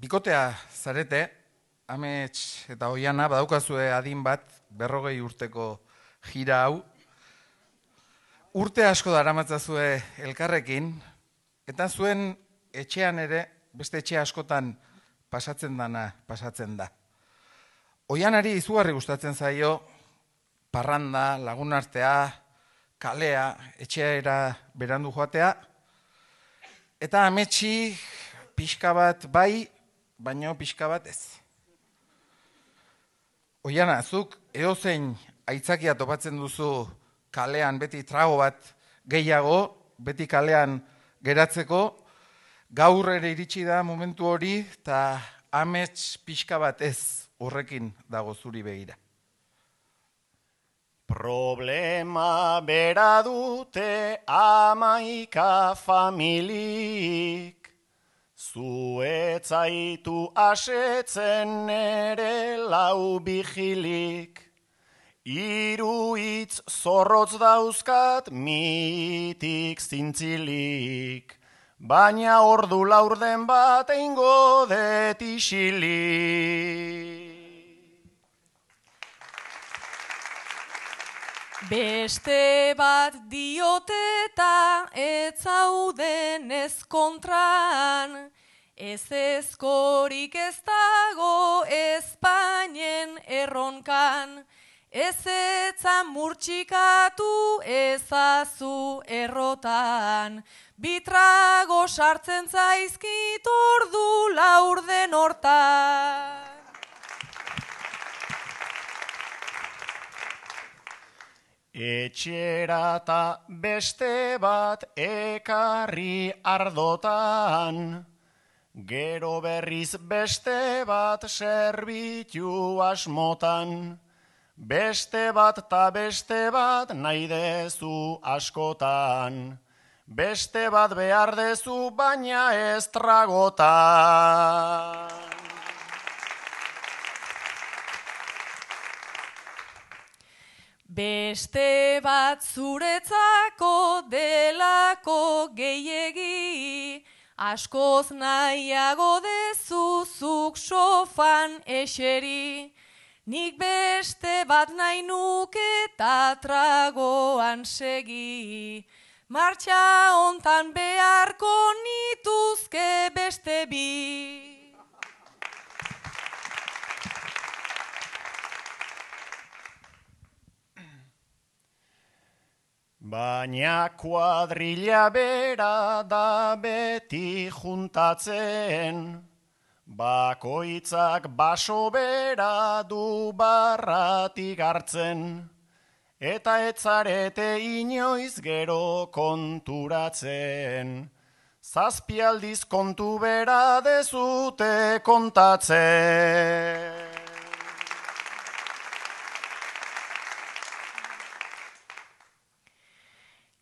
Bikotea zarete, amets eta oiana, badaukazue adin bat, 40 urteko jira hau. Urte asko daramatzazue elkarrekin, eta zuen etxean ere, beste etxe askotan pasatzen da. Oianari izugarri gustatzen zaio, parranda, lagunartea, kalea, etxeera berandu joatea, eta ametsi pixka bat bai, baino pixka bat ez. Oiana, zuk edozein aitzakia topatzen duzu kalean beti trago bat gehiago, beti kalean geratzeko, gaur ere iritsi da momentu hori, eta amets pixka bat ez horrekin dago zuri begira. Problema bera dute 11 familik, zu ez zaitu asetzen nere 4 bijilik, 3 hitz zorrotz dauzkat mitik zintzilik, baina ordu laurden bat eingo det isilik. Beste bat diote eta ez zauden ez kontran, ez ezkorik ez dago Espainen erronkan, ez etzan murtxikatu ezazu errotan, bitrago sartzen zaizkit ordu laurden hortan. Etxera ta beste bat ekarri ardotan, gero berriz beste bat serbitu asmotan, beste bat ta beste bat nahi dezu askotan, beste bat behar dezu baina ez tragotan. Beste bat zuretzako delako gehiegi, askoz nahiago dezuzuk sofan eseri. Nik beste bat nahi nuke eta tragoan segi, martxa hontan beharko nituzke beste bi. Baina kuadrilla bera da beti juntatzen, bakoitzak baso bera du barratik hartzen, eta ez zarete inoiz gero konturatzen, 7 aldiz kontu bera dezute kontatzen.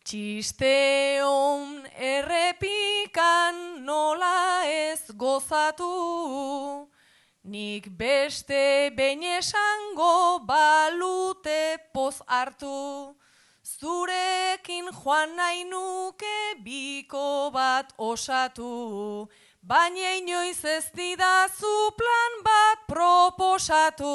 Txisteon errepikan nola ez gozatu, nik beste behin esango balute poz hartu, zurekin joan nahi nuke biko bat osatu, baina inoiz ez didazu plan bat proposatu.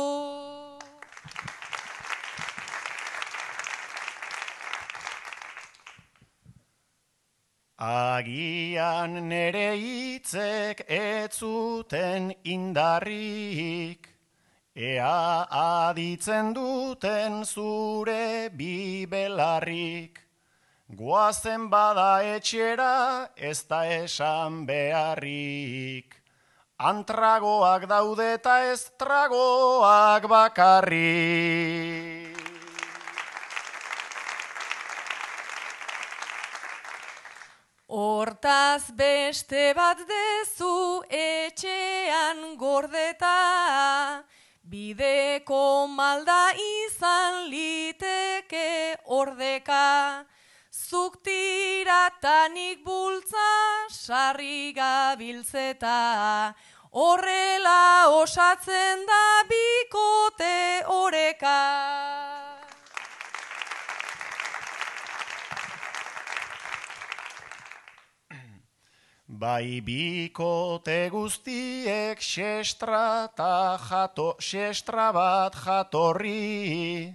Agian nere hitzek ez zuten indarrik, ea aditzen duten zure bi belarrik. Goazen bada etxera ez da esan beharrik, antragoak daude eta ez tragoak bakarrik. Hortaz beste bat dezu etxean gordeta, bideko malda izan liteke ordeka, zuk tiratanik bultza sarri gabiltzeta, horrela osatzen da bikote oreka. Bai bikote guztiek xestra bat jatorri,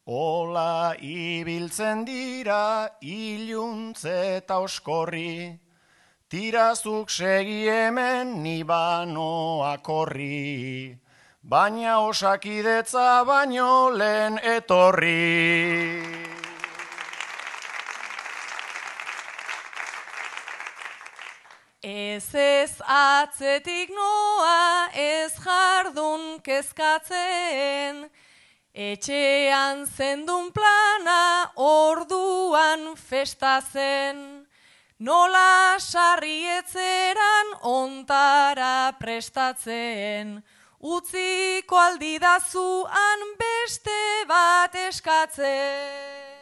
ola ibiltzen dira iluntze eta oskorri, tirazuk segi hemen ni banoak horri, baina osakidetza baino lehen etorri. Ez atzetik noa ez jardun kezkatzen, etxean zendun plana orduan festazen, nola sarrietzeran ontara prestatzen, utziko aldidazuan beste bat eskatzen.